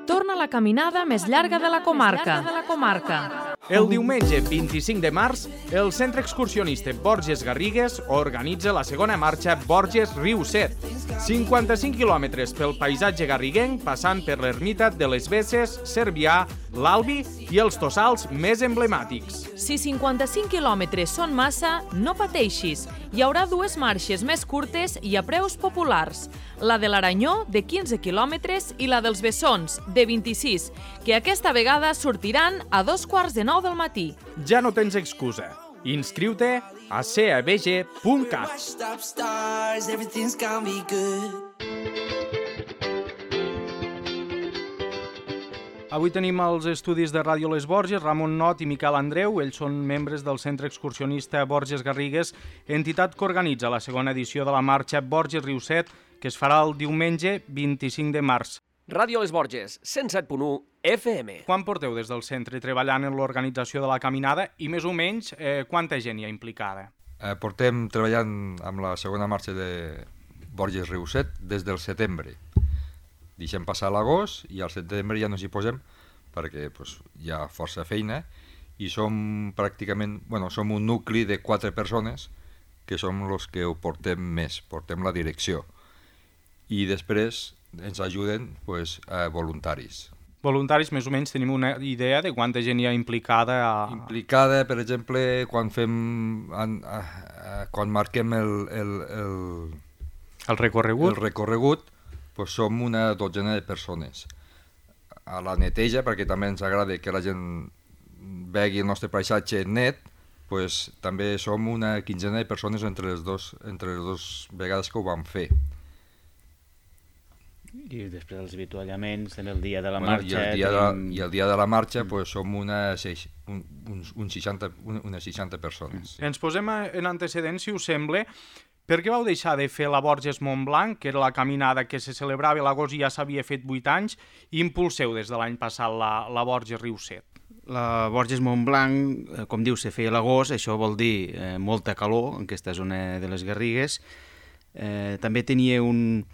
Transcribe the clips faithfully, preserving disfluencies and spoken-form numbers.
torna la caminada més llarga de la comarca. El diumenge vint-i-cinc de març, el Centre Excursionista Borges Garrigues organitza la segona marxa Borges Riu Set. cinquanta-cinc quilòmetres pel paisatge garriguenc, passant per l'ermita de les Besses, Cervià, l'Albi i els tossals més emblemàtics. Si cinquanta-cinc quilòmetres són massa, no pateixis. Hi haurà dues marxes més curtes i a preus populars. La de l'Aranyó, de quinze quilòmetres, i la dels Bessons, de vint-i-sis, que aquesta vegada sortiran a dos quarts de nou del matí. Ja no tens excusa. Inscriu-te a c a b g punt cat. Avui tenim als estudis de Ràdio Les Borges Ramon Not i Miquel Andreu. Ells són membres del Centre Excursionista Borges Garrigues, entitat que organitza la segona edició de la marxa Borges Riu Set, que es farà el diumenge vint-i-cinc de març. Ràdio Les Borges, cent set punt u F M. Quan porteu des del centre treballant en l'organització de la caminada i més o menys eh, quanta gent hi ha implicada? Eh, portem treballant amb la segona marxa de Borges Riu Set des del setembre. Deixem passar l'agost i al setembre ja no s'hi posem perquè pues, hi ha força feina i som pràcticament, bueno, som un nucli de quatre persones que som els que ho portem més, portem la direcció. I després ens ajuden pues, a voluntaris. Voluntaris, més o menys tenim una idea de quanta gent hi ha implicada? A... Implicada, per exemple, quan fem, an, a, a, quan marquem el, el, el, el recorregut, el recorregut pues som una dotzena de persones. A la neteja, perquè també ens agrada que la gent vegi el nostre paisatge net, pues, també som una quinzena de persones entre les dos, entre les dues vegades que ho vam fer. I després els avituallaments, en el dia de la bueno, marxa... I el dia, tenim... de, i el dia de la marxa mm. pues, som una, un, un, un seixanta, unes seixanta persones. Mm. Ens posem en antecedents, si us sembla. Per què vau deixar de fer la Borges Montblanc, que era la caminada que se celebrava a l'agost i ja s'havia fet vuit anys, i impulseu des de l'any passat la, la Borges Riu Set? La Borges Montblanc, com diu, se feia a l'agost, això vol dir eh, molta calor en aquesta zona de les Garrigues. Eh, també tenia un,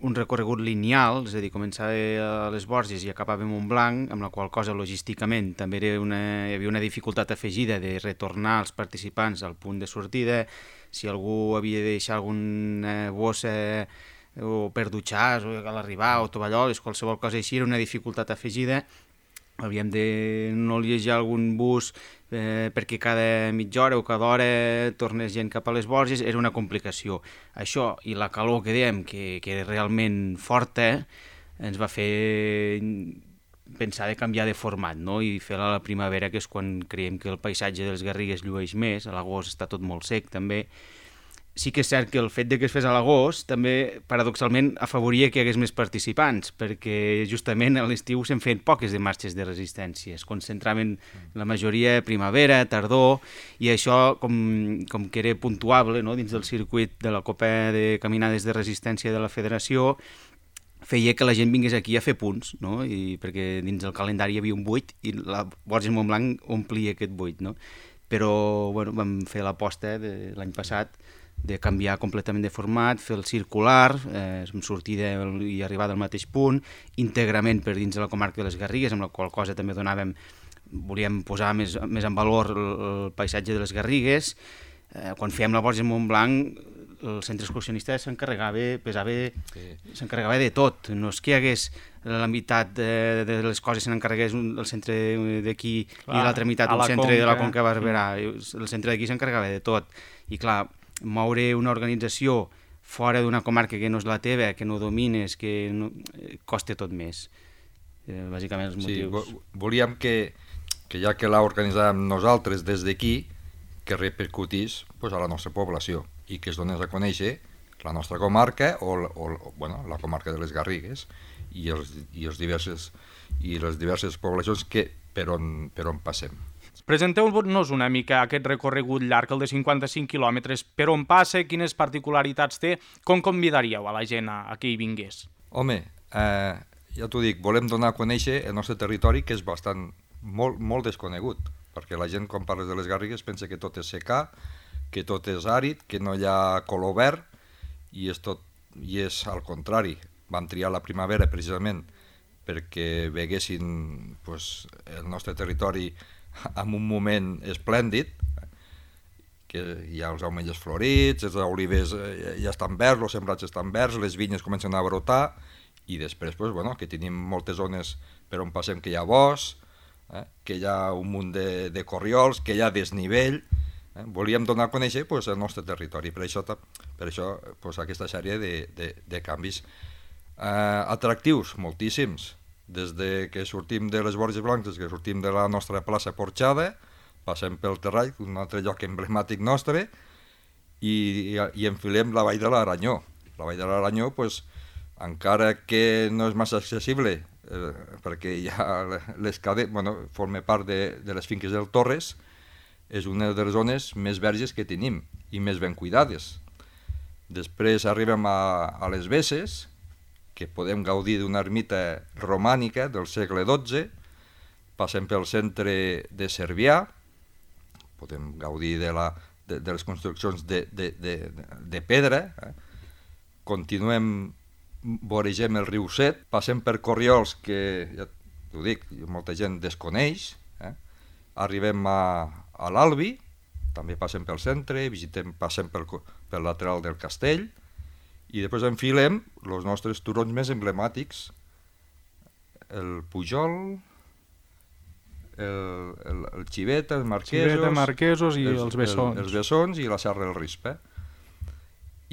un recorregut lineal, és a dir, començava a les Borges i acabava a Montblanc, amb la qual cosa logísticament també era una, hi havia una dificultat afegida de retornar els participants al punt de sortida. Si algú havia de deixar alguna bossa o per dutxar a l'arribar o tovalloles, qualsevol cosa així, era una dificultat afegida. Havíem de no llegir algun bus eh, perquè cada mitja hora o cada hora tornés gent cap a les Borges, era una complicació. Això i la calor que dèiem, que, que era realment forta, ens va fer pensar de canviar de format, no? I fer-la a la primavera, que és quan creiem que el paisatge dels Garrigues llueix més. A l'agost està tot molt sec també. Sí que és cert que el fet de que es fes a l'agost també paradoxalment afavoria que hi hagués més participants, perquè justament a l'estiu se'n feien poques de marxes de resistència, es concentraven la majoria a primavera, tardor, i això com, com que era puntuable, no? Dins del circuit de la Copa de Caminades de Resistència de la Federació, feia que la gent vingués aquí a fer punts, no? I perquè dins el calendari hi havia un buit i la Borges Montblanc omplia aquest buit, no? Però bueno, vam fer l'aposta de l'any passat de canviar completament de format, fer el circular, eh, amb sortida i arribada al mateix punt, íntegrament per dins de la comarca de les Garrigues, amb la qual cosa també donàvem, volíem posar més, més en valor el, el paisatge de les Garrigues. Eh, quan fèiem la Borges Montblanc, el centre excursionista s'encarregava, pesava, sí. s'encarregava de tot. No és que hi hagués la meitat de, de les coses se n'encarregués el centre d'aquí i l'altra meitat un centre Conca. De la Conca Barberà. El centre d'aquí s'encarregava de tot. I clar, moure una organització fora d'una comarca que no és la teva, que no domines, que no, costa tot més. Eh, bàsicament els motius... Sí, volíem que, que ja que l'organitzàvem nosaltres des d'aquí, que repercutís pues, a la nostra població i que es donés a conèixer la nostra comarca o, o bueno, la comarca de les Garrigues i, els, i, els diverses, i les diverses poblacions que, per, on, per on passem. Presenteu-nos una mica aquest recorregut llarg, el de cinquanta-cinc quilòmetres, per on passa, quines particularitats té, com convidaríeu a la gent a, a que hi vingués? Home, eh, ja t'ho dic, volem donar a conèixer el nostre territori, que és bastant, molt, molt desconegut, perquè la gent quan parles de les Garrigues pensa que tot és secà, que tot és àrid, que no hi ha color verd, i és, tot, i és al contrari. Vam triar la primavera precisament perquè veguessin pues, el nostre territori en un moment esplèndid, que hi ha els ametllers florits, els olivers ja estan verds, els sembrats estan verds, les vinyes comencen a brotar, i després pues, bueno, que tenim moltes zones per on passem que hi ha bosc, eh, que hi ha un munt de, de corriols, que hi ha desnivell. Eh? Volíem donar a conèixer pues, el nostre territori, per això, per això pues, aquesta sèrie de, de, de canvis eh, atractius, moltíssims. Des de que sortim de les Borges Blanques, que sortim de la nostra plaça Porxada, passem pel Terrall, un altre lloc emblemàtic nostre, i, i, i enfilem la Vall de l'Aranyó. La Vall de l'Aranyó, pues, encara que no és massa accessible, eh, perquè hi ha les cadenes, bueno, forma part de, de les finques del Torres, és una de les zones més verges que tenim i més ben cuidades. Després arribem a, a les Besses, que podem gaudir d'una ermita romànica del segle dotze, passem pel centre de Cervià, podem gaudir de, la, de, de les construccions de, de, de, de pedra, eh? Continuem, voregem el riu Set, passem per corriols que, ja t'ho dic, molta gent desconeix, eh? Arribem a, a l'Albi, també passem pel centre, visitem, passem pel, pel lateral del castell, i després enfilem els nostres turons més emblemàtics, el Pujol, el, el, el Xiveta, els Marquesos, Xiveta, Marquesos i els, els Bessons. El, els Bessons i la Serra del Rispe.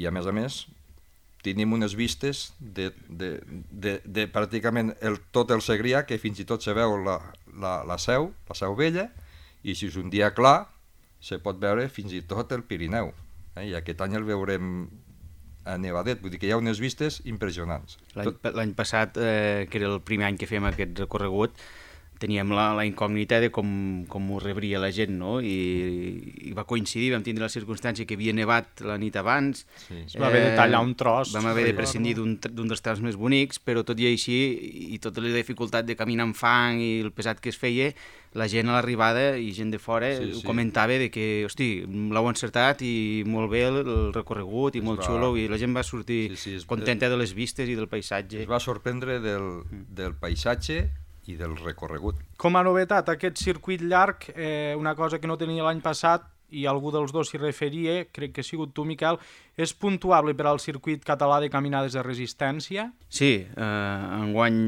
I a més a més tenim unes vistes de, de, de, de pràcticament el, tot el Segrià, que fins i tot se veu la, la, la Seu, la Seu Vella, i si és un dia clar se pot veure fins i tot el Pirineu. Eh? I aquest any el veurem a Nevadet, vull dir que hi ha unes vistes impressionants. L'any passat, eh, que era el primer any que fèiem aquest recorregut, teníem la, la incògnita de com, com ho rebria la gent, no? I, i va coincidir, vam tindre la circumstància que havia nevat la nit abans. Sí. Es va haver de tallar un tros. Vam haver de prescindir d'un dels trams més bonics, però tot i així, i tota la dificultat de caminar amb fang i el pesat que es feia, la gent a l'arribada i gent de fora sí, sí. comentava de que, hosti, l'heu encertat i molt bé el, el recorregut i molt va... xulo, i la gent va sortir sí, sí, es... contenta de les vistes i del paisatge. Es va sorprendre del, del paisatge i del recorregut. Com a novetat, aquest circuit llarg, eh, una cosa que no tenia l'any passat, i algú dels dos s'hi referia, crec que ha sigut tu, Miquel, és puntuable per al circuit català de caminades de resistència? Sí, eh, enguany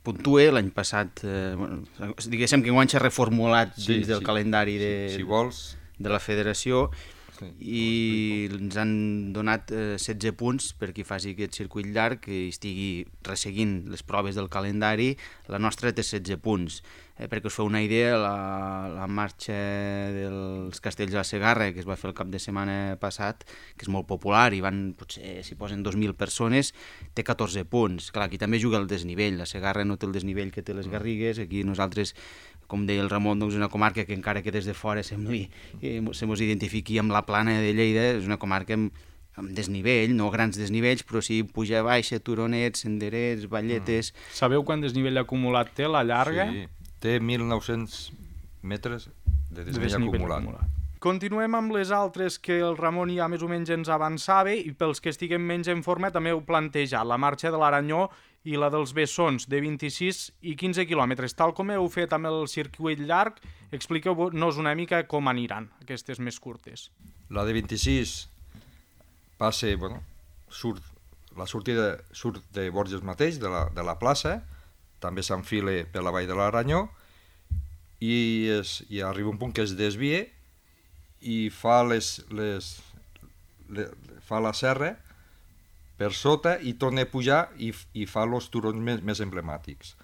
puntue, l'any passat, eh, bueno, diguéssim que enguany s'ha reformulat sí, dins del sí, calendari de, si, si vols. de la federació, sí, i ens han donat eh, setze punts per qui faci aquest circuit llarg, que estigui resseguint les proves del calendari. La nostra té setze punts. Eh, perquè us feu una idea, la, la marxa dels Castells de la Segarra, que es va fer el cap de setmana passat, que és molt popular, i van, potser s'hi posen dos mil persones, té catorze punts. Clar, aquí també juga el desnivell. La Segarra no té el desnivell que té les Garrigues. Aquí nosaltres, com deia el Ramon, doncs una comarca que encara que des de fora sembli, eh, se mos identifiqui amb la plana de Lleida, és una comarca amb, amb desnivell, no grans desnivells, però sí puja baixa, turonets, senderets, valletes... Mm. Sabeu quant desnivell acumulat té la llarga? Sí, té mil nou-cents metres de desnivell, de desnivell acumulat. acumulat. Continuem amb les altres que el Ramon ja més o menys ens avançava, i pels que estiguem menys en forma també heu plantejat la marxa de l'Aranyó i la dels Bessons, de vint-i-sis i quinze quilòmetres. Tal com heu fet amb el circuit llarg, expliqueu-nos una mica com aniran aquestes més curtes. La de vint-i-sis passa, bueno, surt, la sortida surt de Borges mateix, de la, de la plaça, també s'enfila per la Vall de l'Aranyó, i, es, i arriba un punt que es desvia i fa, les, les, les, fa la serra per sota i torna a pujar i, i fa els turons més, més emblemàtics.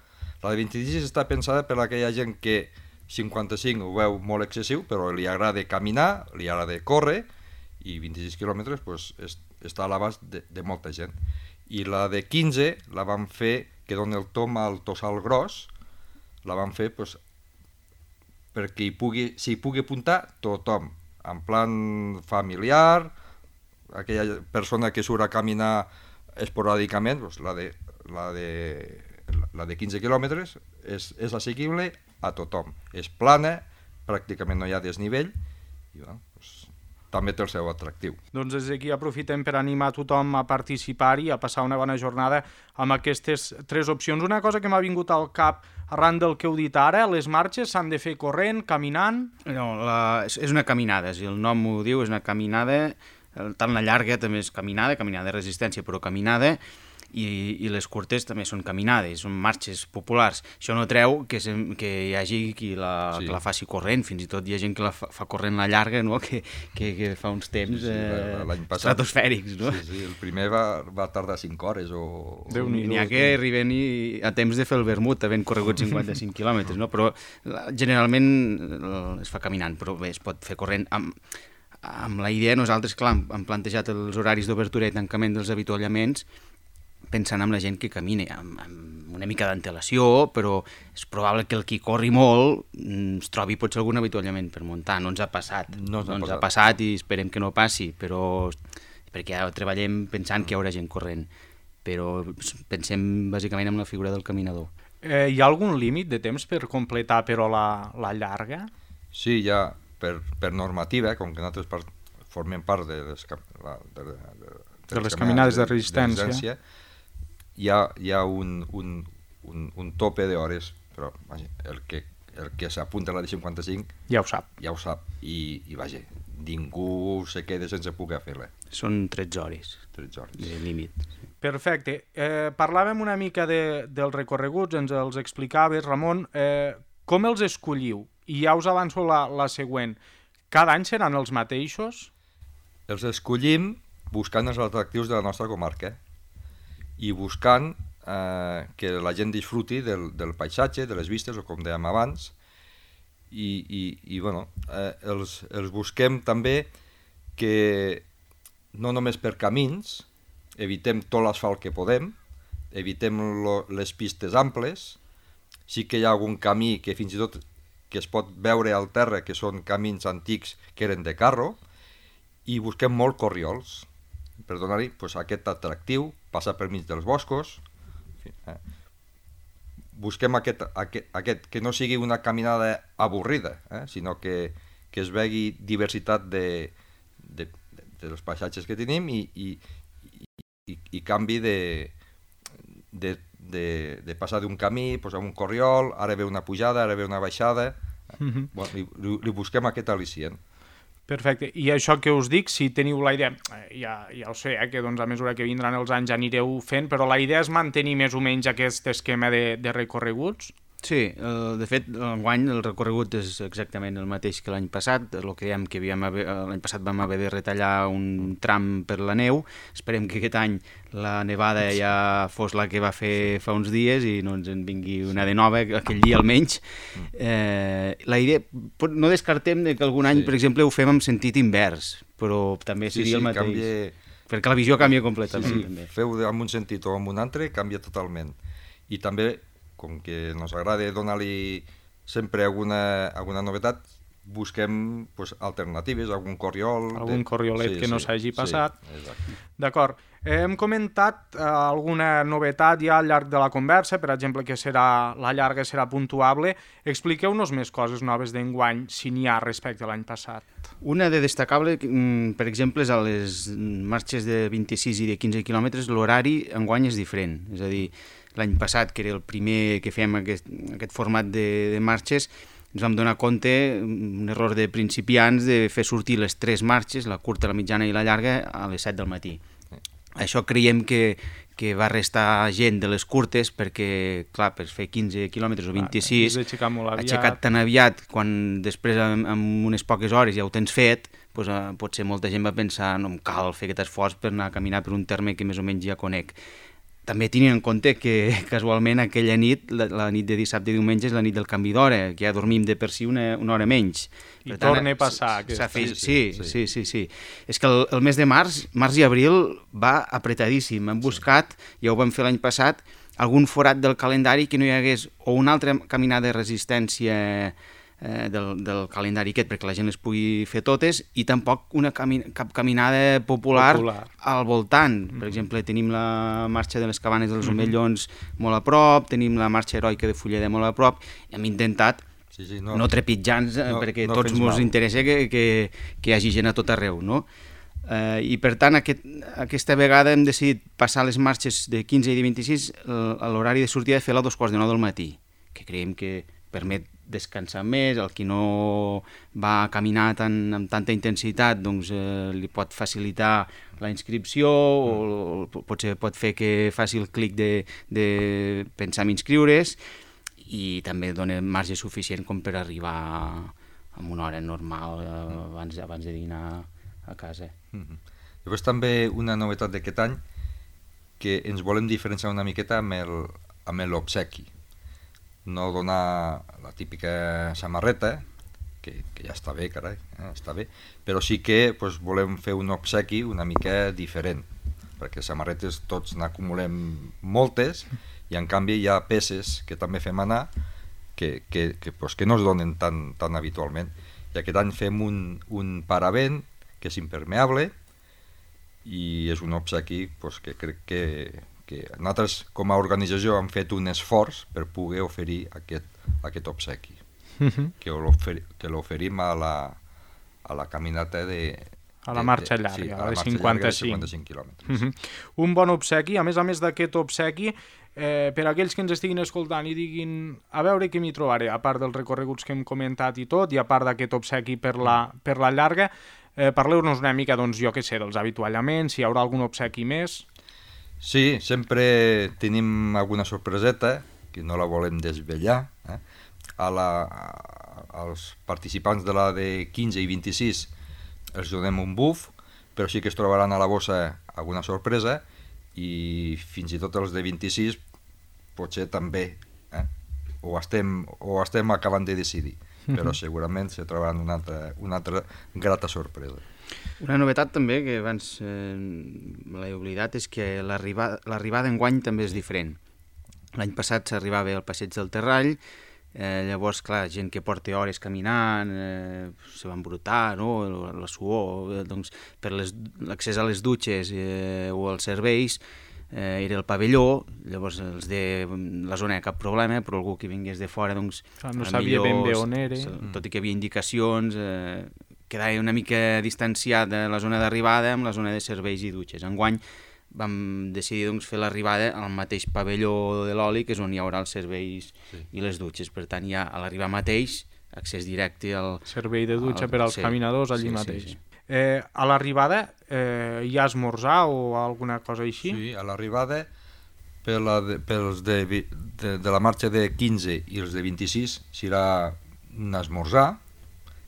La de vint-i-sis està pensada per a aquella gent que cinquanta-cinc ho veu molt excessiu, però li agrada caminar, li agrada córrer, i vint-i-sis quilòmetres pues, és, està a l'abast de, de molta gent. I la de quinze la vam fer, que dona el tom al Tossal Gros, la vam fer pues, perquè hi pugui, s'hi pugui apuntar tothom, en plan familiar, aquella persona que surt a caminar esporàdicament, doncs la, de, la, de, la de quinze quilòmetres és, és assequible a tothom. És plana, pràcticament no hi ha desnivell, i bueno, doncs, també té el seu atractiu. Doncs des d'aquí aprofitem per animar tothom a participar i a passar una bona jornada amb aquestes tres opcions. Una cosa que m'ha vingut al cap arran del que heu dit ara, les marxes s'han de fer corrent, caminant? No, la, és és una caminada, si el nom ho diu, és una caminada, tant la llarga també és caminada, caminada de resistència, però caminada, i, i les curtes també són caminades, són marxes populars. Això no treu que, se, que hi hagi qui la, sí. que la faci corrent, fins i tot hi ha gent que la fa, fa corrent la llarga, no? que, que, que fa uns temps sí, sí, eh, passat, estratosfèrics. No? Sí, sí, el primer va, va tardar cinc hores. O... N'hi ha que arriben i, a temps de fer el vermut, havent corregut cinquanta-cinc quilòmetres, no? Però generalment es fa caminant, però bé, es pot fer corrent amb... Amb la idea, nosaltres, clar, hem plantejat els horaris d'obertura i tancament dels avituallaments pensant en la gent que camina, amb, amb una mica d'antelació, però és probable que el qui corri molt es trobi potser algun avituallament per muntar. No ens ha passat, no, no ens ha passat i esperem que no passi, però perquè ja treballem pensant que hi haurà gent corrent, però pensem bàsicament en la figura del caminador. Eh, hi ha algun límit de temps per completar, però, la, la llarga? Sí, hi ha, per, per normativa, com que nosaltres part, formem part de les, la, de, de, de, de les caminades de resistència, de resistència hi ha, hi ha un, un, un, un tope d'hores, però vaja, el que, el que s'apunta a la de cinquanta-cinc ja ho sap, ja ho sap. I, i vaja, ningú se queda sense poder fer-la. Són tretze hores, tretze hores de límit. Perfecte. Eh, parlàvem una mica de, dels recorreguts, ens els explicaves, Ramon. Eh, com els escolliu? I ja us avanço la, la següent. Cada any seran els mateixos? Els escollim buscant els atractius de la nostra comarca i buscant eh, que la gent disfruti del, del paisatge, de les vistes, o com dèiem abans, i, i, i bueno, eh, els, els busquem també que no només per camins, evitem tot l'asfalt que podem, evitem lo, les pistes amples, sí que hi ha algun camí que fins i tot que es pot veure al terra, que són camins antics que eren de carro, i busquem molt corriols, per donar-hi pues, aquest atractiu, passar per mig dels boscos, en fi, eh. busquem aquest, aquest, aquest, que no sigui una caminada avorrida, eh, sinó que, que es vegi diversitat de, de, de, dels paisatges que tenim i, i, i, i canvi de, de, de, de passar d'un camí pues, a un corriol, ara ve una pujada, ara ve una baixada, eh. mm-hmm. bueno, li, li, li busquem aquest al·licient. Perfecte. I això que us dic, si teniu la idea, ja, ja ho sé, eh, que doncs, a mesura que vindran els anys anireu fent, però la idea és mantenir més o menys aquest esquema de, de recorreguts? Sí, eh, de fet, enguany el recorregut és exactament el mateix que l'any passat. El que dèiem que l'any passat vam haver de retallar un tram per la neu. Esperem que aquest any la nevada ja fos la que va fer fa uns dies i no ens en vingui una de nova, aquell dia almenys. Eh, la idea, no descartem que algun any, sí. per exemple, ho fem en sentit invers, però també seria sí, sí, el mateix. Canvia... Perquè la visió canvia completament. Sí, sí. També. Feu en un sentit o en un altre, canvia totalment. I també, com que ens agrada donar-li sempre alguna, alguna novetat, busquem pues, alternatives, algun corriol... Algun de... corriolet sí, que no s'hagi sí, passat. Sí, d'acord. Hem comentat eh, alguna novetat ja al llarg de la conversa, per exemple, que serà la llarga serà puntuable. Expliqueu-nos més coses noves d'enguany, si n'hi ha respecte a l'any passat. Una de destacable, per exemple, és a les marxes de vint-i-sis i de quinze quilòmetres, l'horari enguany és diferent. És a dir, l'any passat, que era el primer que fèiem aquest, aquest format de, de marxes, ens vam donar compte, un error de principiants, de fer sortir les tres marxes, la curta, la mitjana i la llarga, a les set del matí. Això creiem que, que va restar gent de les curtes perquè, clar, per fer quinze quilòmetres o vint-i-sis, aixecat tan aviat, quan després amb, amb unes poques hores ja ho tens fet, doncs, eh, potser molta gent va pensar no em cal fer aquest esforç per anar a caminar per un terme que més o menys ja conec. També tenint en compte que casualment aquella nit, la, la nit de dissabte i diumenge, és la nit del canvi d'hora, que ja dormim de per si una, una hora menys. I per tant, torna a passar. Aquest... Fet... Sí, sí, sí, sí, sí. És que el, el mes de març, març i abril, va apretadíssim. Hem buscat, ja ho vam fer l'any passat, algun forat del calendari que no hi hagués o una altra caminada de resistència eh, del, del calendari aquest perquè la gent les pugui fer totes i tampoc una cami cap caminada popular, popular al voltant. Mm-hmm. Per exemple, tenim la marxa de les Cabanes dels Omellons mm-hmm. molt a prop, tenim la marxa heroica de Fulleda molt a prop, i hem intentat Sí, sí, no, no trepitjants, eh, no, perquè no tots fes ens mal. interessa que, que, que hi hagi gent a tot arreu, no? Eh, I per tant, aquest, aquesta vegada hem decidit passar les marxes de quinze i de vint-i-sis a l'horari de sortida de fer-la a dos quarts de nou del matí, que creiem que permet descansar més, el qui no va caminar tan, amb tanta intensitat doncs, eh, li pot facilitar la inscripció mm. o potser pot fer que faci el clic de, de pensar en inscriure's, i també dona marge suficient com per arribar a una hora normal eh, abans, abans de dinar a casa. Mm-hmm. Llavors també una novetat d'aquest any, que ens volem diferenciar una miqueta amb el, amb l'obsequi. No donar la típica samarreta, que, que ja està bé, carai, eh, està bé, però sí que pues, volem fer un obsequi una mica diferent, perquè samarretes tots n'acumulem moltes, i en canvi hi ha peces que també fem anar que, que, que, pues, que no es donen tan, tan habitualment. I aquest any fem un, un paravent que és impermeable i és un obsequi pues, que crec que, que nosaltres com a organització hem fet un esforç per poder oferir aquest, aquest obsequi, uh-huh. que l'oferim a la, a la caminata de... A la marxa llarga, sí, a la de marxa cinquanta-cinc. Llarga de cinquanta-cinc quilòmetres. Uh-huh. Un bon obsequi, a més a més d'aquest obsequi, eh, per a aquells que ens estiguin escoltant i diguin a veure què m'hi trobaré, a part dels recorreguts que hem comentat i tot, i a part d'aquest obsequi per la, per la llarga, eh, parleu-nos una mica, doncs, jo què sé, dels avituallaments, si hi haurà algun obsequi més. Sí, sempre tenim alguna sorpreseta, que no la volem desvetllar, eh? a la, a, als participants de la de quinze i vint-i-sis els donem un buf, però sí que es trobaran a la bossa alguna sorpresa, i fins i tot els de vint-i-sis potser també, eh? ho, estem, ho estem acabant de decidir, però segurament se trobaran una altra, una altra grata sorpresa. Una novetat també que abans eh, l'he oblidat és que l'arribada l'arribada enguany també és diferent. L'any passat s'arribava al passeig del Terrall, eh, llavors, clar, gent que porta hores caminant, eh, se va embrutar, no? la, la suor, eh, doncs, per l'accés a les dutxes eh, o als serveis, eh, era el pavelló, llavors els de la zona cap problema, però algú que vingués de fora, doncs... Ah, no sabia ben bé on era. Tot i que hi havia indicacions, eh, quedava una mica distanciat de la zona d'arribada amb la zona de serveis i dutxes. Enguany vam decidir doncs, fer l'arribada al mateix pavelló de l'oli, que és on hi haurà els serveis sí. i les dutxes. Per tant, hi ha a l'arribar mateix accés directe al... Servei de dutxa al, per als sí, caminadors allí sí, mateix. Sí, sí. Eh, a l'arribada eh, hi ha esmorzar o alguna cosa així? Sí, a l'arribada per la de, pels de, de, de la marxa de quinze i els de vint-i-sis serà un esmorzar,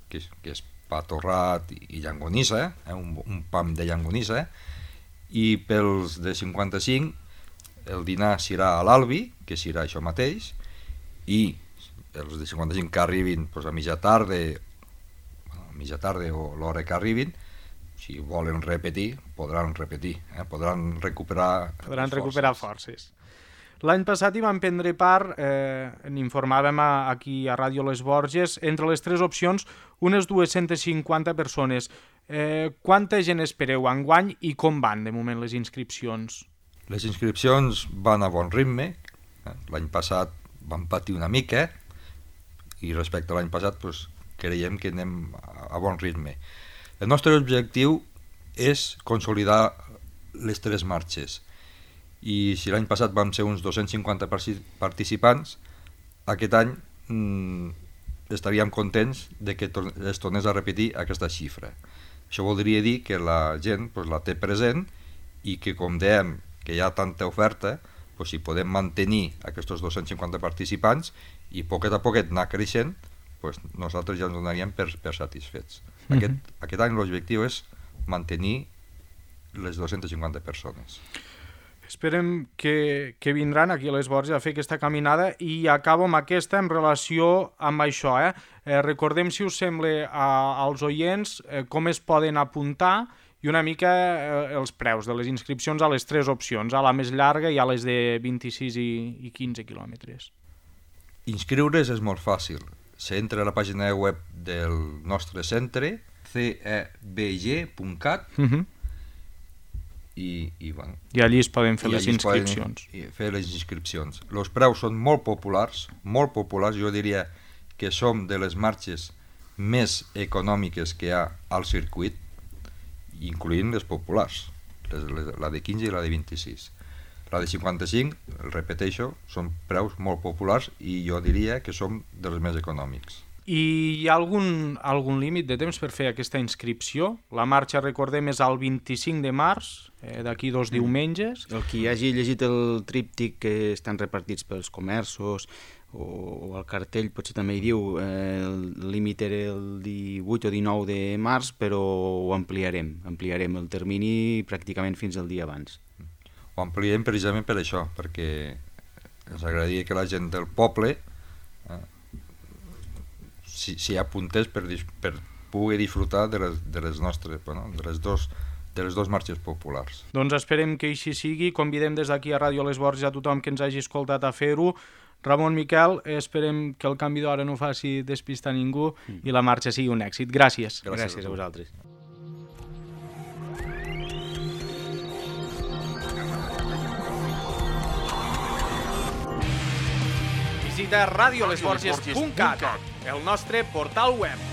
que és, que és pa torrat i llangonissa, eh? un, un pam de llangonissa, i pels de cinquanta-cinc el dinar serà a l'Albi, que serà això mateix, i els de cinquanta-cinc que arribin pues, a mitja tarda, a mitja tarda o l'hora que arribin, si volen repetir, podran repetir, eh? podran recuperar podran recuperar forces. L'any passat hi van prendre part, eh, n'informàvem a, aquí a Ràdio Les Borges, entre les tres opcions, unes dues-centes cinquanta persones. Eh, quanta gent espereu enguany i com van de moment les inscripcions? Les inscripcions van a bon ritme. Eh? L'any passat van patir una mica i respecte a l'any passat pues, creiem que anem a bon ritme. El nostre objectiu és consolidar les tres marxes. I si l'any passat vam ser uns dos-cents cinquanta participants, aquest any mmm, estaríem contents de que es tornés a repetir aquesta xifra. Això voldria dir que la gent pues, la té present i que, com dèiem, que hi ha tanta oferta, pues, si podem mantenir aquests dos-cents cinquanta participants i poquet a poquet anar creixent, pues, nosaltres ja ens donaríem per, per satisfets. Mm-hmm. Aquest, aquest any l'objectiu és mantenir les dues-centes cinquanta persones. Esperem que, que vindran aquí a Les Borges a fer aquesta caminada i acabo amb aquesta en relació amb això. Eh? Eh, recordem, si us sembla, a, als oients eh, com es poden apuntar i una mica eh, els preus de les inscripcions a les tres opcions, a la més llarga i a les de vint-i-sis i, i quinze quilòmetres. Inscriure's és molt fàcil. S'entra a la pàgina web del nostre centre, c e b g punt cat, uh-huh. I, i, bueno, I allí es poden fer les inscripcions. Poden fer les inscripcions. Els preus són molt populars, molt populars, jo diria que som de les marxes més econòmiques que hi ha al circuit, incloent les populars, la de quinze i la de vint-i-sis. La de cinquanta-cinc, el repeteixo, són preus molt populars i jo diria que som dels més econòmics. I hi ha algun, algun límit de temps per fer aquesta inscripció? La marxa, recordem, és el vint-i-cinc de març, eh, d'aquí dos diumenges. El qui hagi llegit el tríptic que estan repartits pels comerços o, o el cartell potser també hi diu eh, el límit era el divuit o dinou de març, però ho ampliarem, ampliarem el termini pràcticament fins al dia abans. Ho ampliem precisament per això, perquè ens agradaria que la gent del poble eh, s'hi si apuntés per, per poder disfrutar de les, de les nostres, bueno, de les dos de les dues marxes populars. Doncs esperem que així sigui. Convidem des d'aquí a Ràdio Les Borges a tothom que ens hagi escoltat a fer-ho. Ramon, Miquel, esperem que el canvi d'hora no faci despistar ningú mm. i la marxa sigui un èxit. Gràcies. Gràcies, Gràcies a vosaltres. Visita radiolesborges punt cat, el nostre portal web.